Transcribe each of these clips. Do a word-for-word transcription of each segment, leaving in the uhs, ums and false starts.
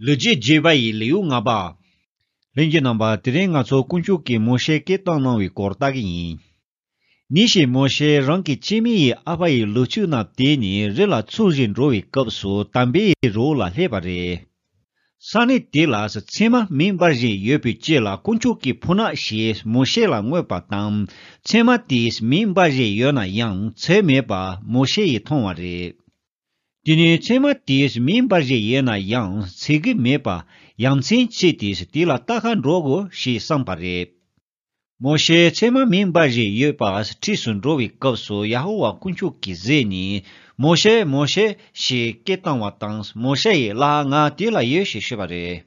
ལོ་རྒྱུས་བརྗོད་པ་ཡི་ལེའུ་ལྔ་པ། ལྷན་རྒྱས་རྣམ་པ། དེ་རིང་ང་ཚོ་དཀོན་མཆོག་གིས་མོ་ཤེ་སྐད་བཏང་གནང་བའི་སྐོར་ལྟ་གི་ཡིན། ཉིན་ཞིག་མོ་ཤེ་རང་གི་སྐྱེ་དམན་ཡི་ཨ་ཕ་ཡི་ལུག་ཁྱུ་རྣམས་དེད་ནས་རི་ལ་འཚོ་བཞིན་འགྲོ་བའི་སྐབས་སུ་དམ་པའི་རི་བོ་ལ་སླེབས་པ་རེད། ས་གནས་དེ་ལ་ཚེར་མ་མེ་འབར་བཞིན་ཡོད་པའི་དཀྱིལ་ལ་དཀོན་མཆོག་གི་ཕོ་ཉ་ཞིག་མོ་ཤེ་ལ་མངོན་པ་དང་། ཚེར་མ་དེས་མེ་འབར་བཞིན་ཡོད་ན་ཡང་ཚེར་མེད་པ་མོ་ཤེ་ཡིས་མཐོང་བ་རེད། དེ་ནས་ཚེར་མ་དེས་མེ་འབར་བཞིན་ཡོད་ན་ཡང་ཚེར་གི་མེད་པ་ཡ་མཚན་ཆེ་སྟེ་དེ་ལ་ལྟ་ག་འགྲོ་དགོས་ཞེས་བསམས་པ་རེད། མོ་ཤེ་ཚེར་མ་མེ་འབར་བཞིན་ཡོད་པ་འཁྲིས་སུ་འགྲོ་བའི་སྐབས་སུ་ཡ་ཧོ་ཝཱ་དཀོན་མཆོག་གིས་གཟིགས་ནས། མོ་ཤེ། མོ་ཤེ། ཞེས་སྐད་བཏང་བ་དང་། མོ་ཤེ་ཡིས། ལགས། ང་དེ་ལ་ཡོད། ཞེས་ཤོད་པ་རེད།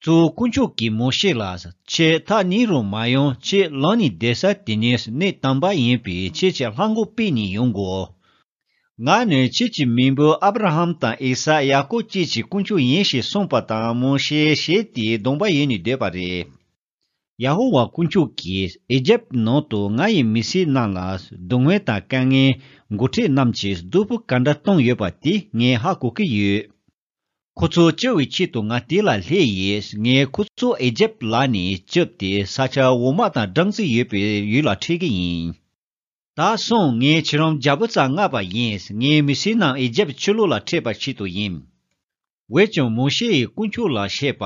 གཙོ་བོ་དཀོན་མཆོག་གིས་མོ་ཤེ་ལ། ཁྱེད་ཐག་ཉེ་རུ་མ་ཡོང་། ཁྱེད་ལངས་ནས་བསྡད་ས་དེ་ནི་གནས་དམ་པ་ཡིན་པས་ཁྱེད་ཀྱི་ལྷམ་གོག་ཕུད་ནས་ཡོང་དགོས། ང་ནི་ཁྱེད་ཀྱི་མེས་པོ་ཨབ་ར་ཧམ་དང་ཨི་སཱག་ཡ་ཀོབ་བཅས་ཀྱི་དཀོན་མཆོག་ཡིན་ཞེས་གསུངས་པ་དང་། མོ་ཤེ་ཞེད་དེ་གདོང་པ་ཡོལ་ནས་སྡོད་པ་རེད། ཡ་ཧོ་ཝཱ་དཀོན་མཆོག་གིས། ཨི་ཇེབ་ནང་དུ་ང་ཡི་མི་སེར་རྣམས་ལ་སྡུག་བསྔལ་དང་དཀའ་ངལ་འགོ་ཁྲིད་རྣམས་ཀྱིས་སྡུག་པོ་ག་འདྲ་བཏང་ཡོད་པ་དེ་ངས་ཧ་གོ་གི་ཡོད། ཁོ་ཚོ་སྐྱོབ་པའི་ཆེད་དུ་ང་དེ་ལ་སླེབས་ཡིན། ངས་ཁོ་ཚོ་ཨི་ཇེབ་ལག་ནས་སྐྱོབ་སྟེ་ས་ཆ་འོ་མ་དང་སྦྲང་རྩི་ཡོད་པའི་ཡུལ་ལ་ཁྲིད་ཀྱི་ཡིན། ད་སོང་། ངས་ཁྱེད་རང་རྒྱལ་པོ་རྩ་མངགས་པ་ཡིན། ངའི་མི་སེར་རྣམས་ཨི་ཇེབ་ཕྱི་ལོགས་ལ་ཁྲིད་པ་ཆེད་དུ་ཡིན། འོན་ཀྱང་མོ་ཤེ་ཡིས་དཀོན་མཆོག་ལ་བཤད་པ།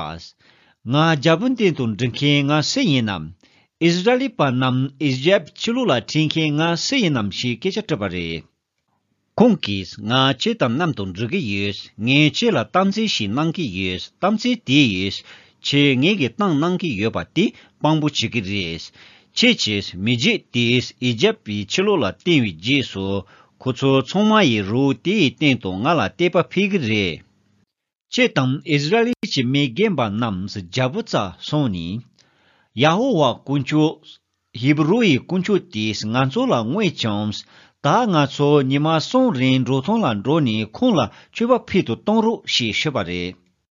ང་རྒྱལ་པོ་མདུན་དུ་འགྲོ་མཁན་ང་སུ་ཡིན་ནམ། ཨིསི་ར་ཨེལ་པ་རྣམས་ཨི་ཇེབ་ཕྱི་ལོགས་ལ་ཁྲིད་མཁན་ང་སུ་ཡིན་ནམ་ཞེས་སྐད་ཆ་དྲིས་པ་རེད། ཁོང་གིས། ང་ཁྱེད་དང་མཉམ་དུ་འགྲོ་གི་ཡོད། ངས་ཁྱེད་ལ་གཏམ་ཚིག་ཞིག་གནང་གི་ཡོད། གཏམ་ཚིག་དེ་ཡིས་ཁྱེད་ངེད་ཀྱིས་བཏང་གནང་གི་ཡོད་པ་དེ་དཔང་པོ་བྱེད་ཀྱི་རེད། ཁྱེད་ཀྱིས་མི་རྒྱུད་དེས་ཨི་ཇེབ་པའི་ཕྱི་ལོགས་ལ་བཏོན་པའི་རྗེས་སུ། ཁོ་ཚོ་ཚང་མ་ཡིས་རི་བོ་དེའི་སྟེང་དུ་ང་ལ་དད་པ་འཕེལ་གྱི་རེད། ཁྱེད་དང་ཨིསི་ར་ཨེལ་གྱི་མི་རྒན་པ་རྣམས་རྒྱལ་པོ་རྩར་སོང་ནས། ཡ་ཧོ་ཝཱ་དཀོན་མཆོག་ཧི་བུ་རུ་ཡི་དཀོན་མཆོག་དེས་ང་ཚོ་ལ་མངོན་བྱུང་། ད་ང་ཚོ་ཉི་མ་གསུམ་རིང་འབྲོག་ཐང་ལ་འགྲོ་ནས་ཁོང་ལ་མཆོད་པ་ཕུལ་དུ་གཏོང་རོགས་ཞེས་ཤོད་པ་རེད།